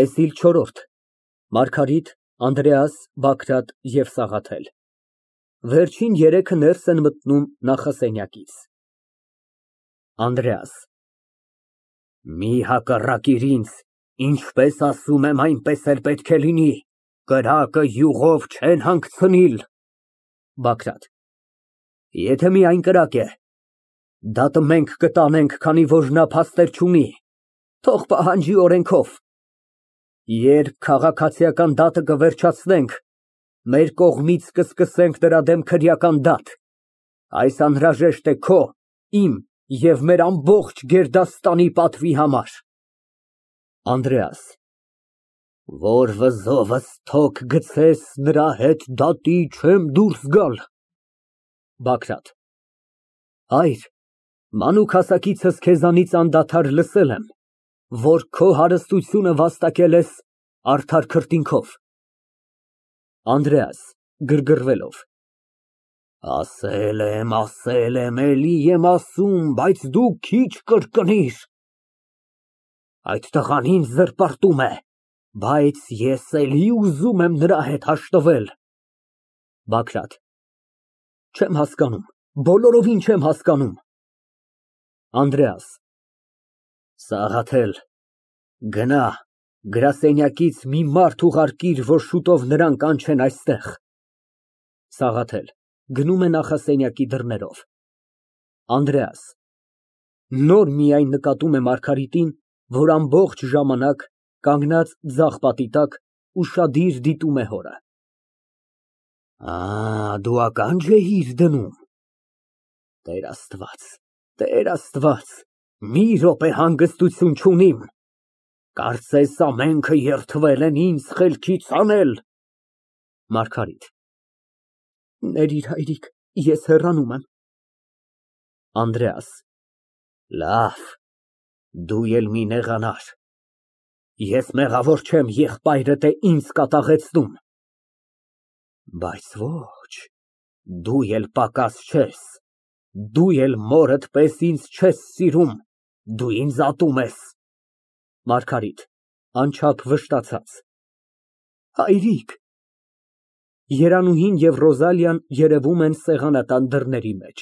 ՏԵՍԻԼ ՉՈՐՐՈՐԴ ՄԱՐԳԱՐԻՏ, ԱՆԴՐԵԱՍ, ԲԱԳՐԱՏ ԵՎ ՍԱՂԱԹԵԼ Վերջին երեքը ներս են մտնում նախասենյակից։ ԱՆԴՐԵԱՍ ֊ Մի հակառակիր ինձ, ինչպես ասում եմ, այնպես էլ պետք է լինի, կրակը յուղով չեն հանգցնիլ։ ԲԱԳՐԱՏ ֊ Եթե միայն կրակ է, դատը մենք կտանենք, քանի որ նա փաստեր չունի, թող պահանջի օրենքով։ Երբ քաղաքացիական դատը կվերջացնենք, մեր կողմից կսկսենք նրա դեմ քրեական դատ, այս անհրաժեշտ է քո, իմ և մեր ամբողջ գերդաստանի պատվի համար։ ԱՆԴՐԵԱՍ ֊ Որ վզովս թոկ գցես, նրա հետ դատի չեմ դուրս գալ։ ԲԱԳՐԱՏ ֊ Հայր, մանուկ հասակիցս քեզանից անդադար լսել եմ, որ քո հարստությունը վաստակել ես արդար քրտինքով։ ԱՆԴՐԵԱՍ ֊ (Գրգռվելով) Ասել եմ, էլի եմ ասում, բայց դու քիչ կրկնիր։ Այդ տղան ինձ զրպարտում է, բայց ես էլի ուզում եմ նրա հետ հաշտվել։ ԲԱԳՐԱՏ ֊ Չեմ հասկանում, բոլորովին չեմ հասկանում։ ԱՆԴՐԵԱՍ ֊ Սաղաթել, գնա, գրասենյակից մի մարդ ուղարկիր, որ շուտով նրան կանչեն այստեղ։ ՍԱՂԱԹԵԼ ֊ (Գնում է նախասենյակի դռներով)։ ԱՆԴՐԵԱՍ ֊ (Նոր միայն նկատում է Մարգարիտին, որ ամբողջ ժամանակ կանգնած ձախ պատի տակ, ուշադիր դիտում է հորը) Դու ականջ էիր դնում։ Տեր Աստված, մի րոպե հանգստություն չունիմ, կարծես ամենքը երդվել են ինձ խելքից հանել։ ՄԱՐԳԱՐԻՏ ֊ Ներիր, հայրիկ, ես հեռանում եմ։ ԱՆԴՐԵԱՍ ֊ Լավ, դու էլ մի նեղանար, ես մեղավոր չեմ, եղբայրդ է ինձ կատաղեցնում։ Բայց ոչ, դու էլ պակաս չես, դու էլ մորդ պես ինձ չես սիրում, դու ինձ ատում ես։ ՄԱՐԳԱՐԻՏ ֊ (Անչափ վշտացած) Հայրիկ։ ԵՐԱՆՈՒՀԻՆ և ՌՈԶԱԼԻԱՆ երևում են սեղանատան դռների մեջ։